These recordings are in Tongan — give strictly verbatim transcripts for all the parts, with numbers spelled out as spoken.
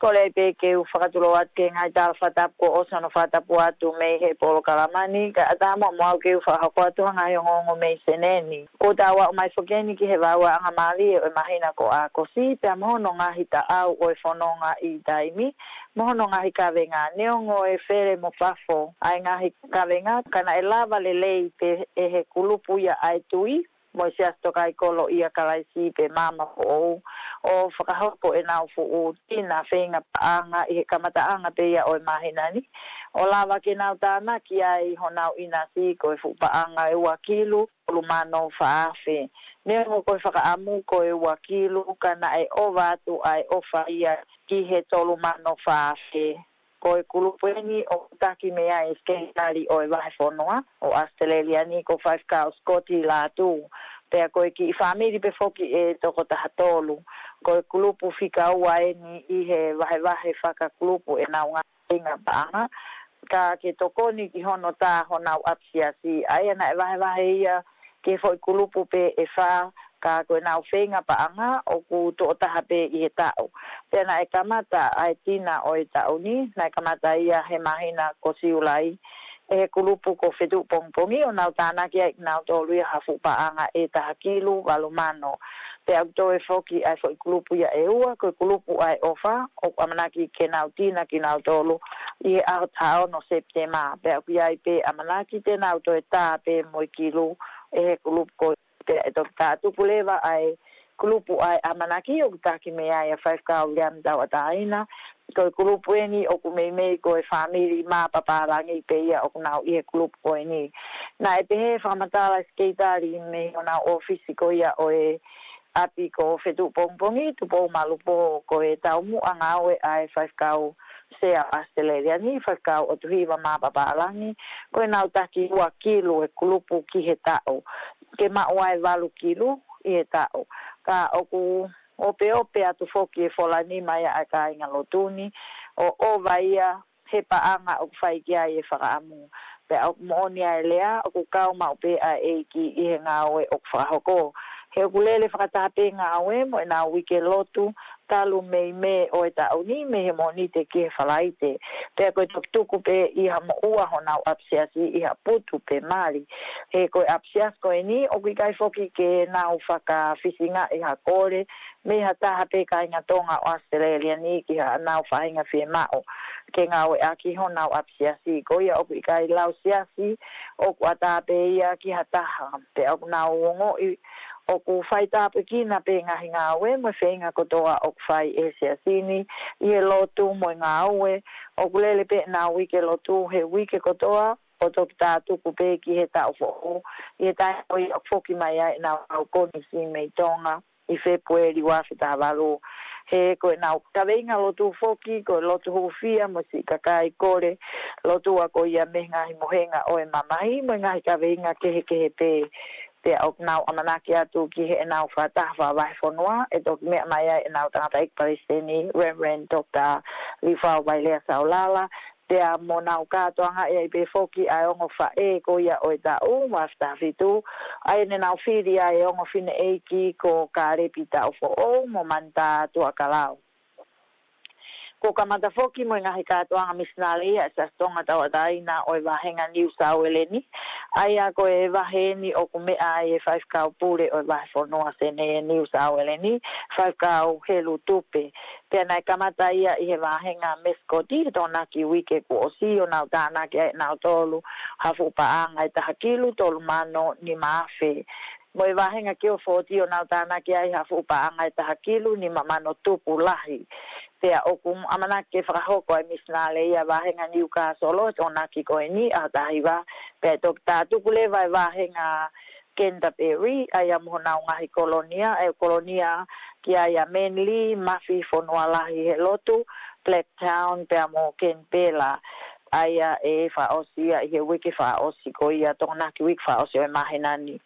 Kole pē ke u fakatulou atu ki he ngaahi tala fakatapu kuo ʻosi hono fakatapu atu mei he polokalama ni, kae ʻatā muʻa mo au ke u fakahoko atu ha ngaahi ongoongo mei Senē ni. Kuo tau aʻu mai foki eni ki he vaeuaʻanga mālie ʻo e māhina ko ʻAokosi, pea mo hono ngaahi taʻau ʻo e fononga ʻi taimi, mo hono ngaahi kavenga. Neongo e fele mo fafo ʻa e ngaahi kavenga, ka naʻe lava lelei pē ʻe he kulupu ia ʻa e Tuʻi mo e Siasi Tokāikolo ʻia Kalaisi pe Maama Foʻou ʻo fakahoko ʻenau fuʻu tina feinga paʻanga ʻi he kamataʻanga pē ia ʻo e māhina ni, ʻo lava ke nau tānaki ai honau ʻinasi ko e fuʻu paʻanga ʻe ua kilu, tolu mano fā afe. Neongo ko e fakaʻamu ko e ua kilu, ka naʻe ʻova atu ʻa e ʻofa ia ki he tolu mano fā afe. Ko e kulupu eni ʻoku taki mei ai e Sekelitali ʻo e Vahefonua ʻo ʻAositelēlia ni, ko Faifekau Scotty Lātū. Pea ko e kiʻi fāmili pē foki ʻe toko taha tolu. Ko e kulupu fika ua eni ʻi he vahevahe fakakulupu ʻenau ngaahi feinga paʻanga, ka ke tokoni ki hono tā honau ʻapisiasi, ʻa ia naʻe vahevahe ia ki he foʻi kulupu pē ʻe fā, ka ko ʻenau feinga paʻanga ʻoku tuʻo taha pē ʻi he taʻu. Pea naʻe kamata ʻa e tina ʻo e taʻu ni, naʻe kamata ia he māhina ko Siulai, ʻe he kulupu ko Fetuʻupongipongi, ʻo nau tānaki ai kinautolu ia ha fuʻu paʻanga ʻe taha kilu, valu mano. Pea ʻoku toe foki ʻa e foʻi kulupu ia ʻe ua, ko e kulupu ʻa e ʻofa, ʻoku ʻamanaki ke nau tina kinautolu ʻi he ʻaho taha ono Sepitema. Pea ʻoku ʻi ai pē ʻamanaki te nau toe tā pē mo e kilu ʻe he kulupu ko ia. Pea ʻe toki tātuku leva ʻa e kulupu ʻa e ʻamanaki ʻoku taki mei ai ʻa Faifekau Liam Tauʻatāina. Ko e kulupu eni ʻoku meimei ko e fāmili mā papālangi pē ia ʻoku nau ʻi he kulupu ko eni. Naʻe pehē fakamatala e Sekelitali mei honau ʻōfisi ko ia ʻo e ʻapi ko Fetuʻupongipongi, Tupou Malupō, ko e taumuʻa ngāue ʻa e Faifekau Sea ʻAositelēlia ni, Faifekau ʻOtuhiva mā papālangi, ko ʻenau taki ua kilu e kulupu ki he taʻu, ke maʻu ai e valu kilu ʻi he taʻu. Ka ʻoku opeope atu foki e fola nima ia ʻa e kāingalotu ni, ʻo ʻova ia he paʻanga ʻoku fai ki ai e fakaʻamu. Pea ʻoku moʻoni ʻa e lea, ʻoku kau maʻu pē ʻa e ʻEiki ʻi he ngāue ʻoku fakahoko. He ʻoku lele fakataha pē ngāue mo ʻenau uike lotu, talu mei Mē ʻo e taʻu ni, mei he Mōnite ki he Falaite. Pea ko e toki tuku pē ʻi ha moʻua honau ʻapisiasi ʻi ha putu pe mali. He ko e ʻapisiasi ko eni, ʻoku ʻikai foki ke nau fakafisingaʻi ha kole mei ha taha pē kāinga Tonga ʻo ʻAositelēlia ni ki haʻanau faʻahinga fiemaʻu ke ngāueʻaki honau ʻapisiasi. Ko ia ʻoku ʻikai lau siasi, ʻoku ʻatā pē ia ki ha taha. Pea ʻoku nau ongoʻi ʻoku faitāpuekina pē ngaahi ngāue mo e feinga kotoa ʻoku fai ʻe he siasi ni ʻi he lotu mo e ngāue. ʻOku lele pē ʻenau uike lotu he uike kotoa, ʻo toki tātuku pē ki he taʻu foʻou, ʻi he taimi ko ia ʻoku foki mai ai ʻenau kau konisi mei Tonga ʻi Fēpueli ua afe taha valu. He ko ʻenau kaveinga lotu foki, ko e lotu hūfia mo siʻi kakai kole lotua ko ia mei he ngaahi mohenga ʻo e mamahi, mo e ngaahi kaveinga kehekehe pē. Pea ʻoku nau ʻamanaki atu ki heʻenau fakataha fakavahefonua, ʻe toki meʻa mai ai ʻenau tangataʻeiki palesiteni, Reverend Doctor Liufau Vailea Saulala, pea mo nau kātoangaʻi ai pē foki ʻa e ongo faʻē ko ia ʻo e taʻu, ua afe taha fitu, ʻa ia ne nau fili ai e ongo fineʻeiki ko Kālepi Taʻufoʻou mo Manitā Tuʻakalau. Kuo kamata foki mo e ngaahi kātoanga misinale ʻa e Siasi Tonga Tauʻatāina ʻo e Vāhenga Niu Sauele ni, ʻa ia ko e vahe eni ʻoku meʻa ai e Faifekau Pule ʻo e Vahefonua Senē Niu Sauele ni, Faifekau Helu Tupe. Pea naʻe kamata ia ʻi he vāhenga Mesikoti he Tokonaki uike kuo ʻosi, ʻo nau tānaki ai ʻe nautolu ha fuʻu paʻanga ʻe taha kilu, tolu mano nima afe. Mo e vāhenga Kio Fōti, ʻo nau tānaki ai ha fuʻu paʻanga ʻe taha kilu, nima mano tupu lahi. Pea ʻoku ʻamanaki ke fakahoko ʻa e misinale ia vāhenga Niukāsolo he Tokonaki ko eni, ʻaho taha hiva. Pea ʻe toki tātuku leva e vāhenga Canterbury, ʻa ia mo honau ngaahi kolonia, ʻe kolonia ki ai ʻa Manly, Mafi, Fonualahi he lotu, Blacktown, pea mo Kenipela. ʻA ia ʻe fakaʻosi ia ʻi he uike fakaʻosi ko ia, Tokonaki uike fakaʻosi ʻo e māhina ni.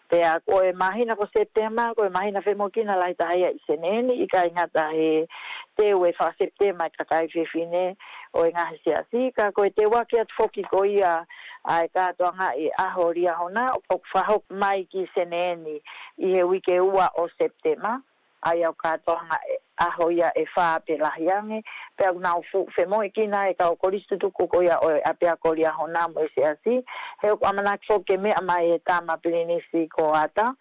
Pea ko e māhina ko Sepitema, ko e māhina femoʻuekina lahi taha ia ʻi Senē ni, ʻikai ngata he teu e faka-Sepitema e kakai fefine ʻo e ngaahi siasi, ka ko e teu ake atu foki ko ia ʻa e kātoangaʻi ʻaho Liahona ʻoku fakahoko mai ki Senē ni ʻi he uike ua ʻo Sepitema, ʻa ia ʻoku kātoanga ʻe ʻaho ia ʻe fā pe lahi ange, pea ʻoku nau fuʻu femoʻuekina e kau kolisi tutuku ko ia ʻo e ʻapiako Liahona mo e Siasi, he ʻoku ʻamanaki foki ke meʻa mai e tama Pilinisi ko Ata,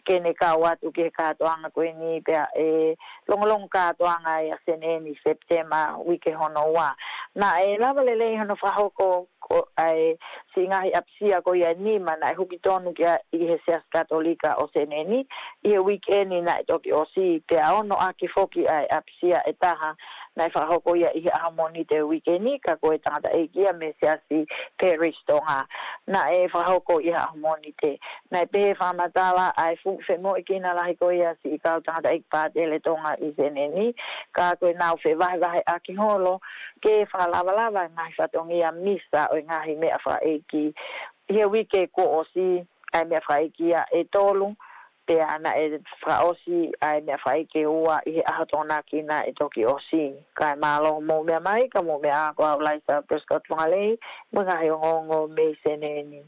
ke ne kau atu ki he kātoanga ko eni pea ʻe longolongo kātoanga ia ʻa Seneni Sepitema uike hono ua. Naʻe lava lelei hono fakahoko ko ʻa e siʻi ngaahi ʻapisia ko ia ʻe nima naʻe huki tonu ki ai ʻi he Siasi Katolika ʻo Seneni, ʻi he uike ni naʻe toki ʻosi, pea ono ʻaki foki ʻa e ʻapisia ʻe taha naʻe fakahoko ia ʻi he ʻaho Mōnite uike ni, ka ko e tangataʻeiki ia mei he Siasi Parish Tonga. Naʻe fakahoko ʻi he ʻaho Mōnite. Naʻe pehē fakamatala ʻa e fuʻu femoʻuekina lahi ko ia siʻi kau tangataʻeiki pātele Tonga ʻi Seneni, ka ko e nau fevahevaheʻaki holo ke fakalavalava e ngaahi fatongia misa ʻo e ngaahi meʻa fakaʻeiki. ʻI he uike kuo ʻosi, ʻa e meʻa fakaʻeiki ia ʻe tolu, pea naʻe fakaʻosi ʻa e meʻa fakaʻeiki ʻe ua ʻi he ʻaho Tokonaki naʻe toki ʻosi. Kae mālō hoʻomou meʻa mai, ka mou meʻa ā, ko au Laisa Prescott Fongalei, mo e ngaahi ongoongo mei Seneni.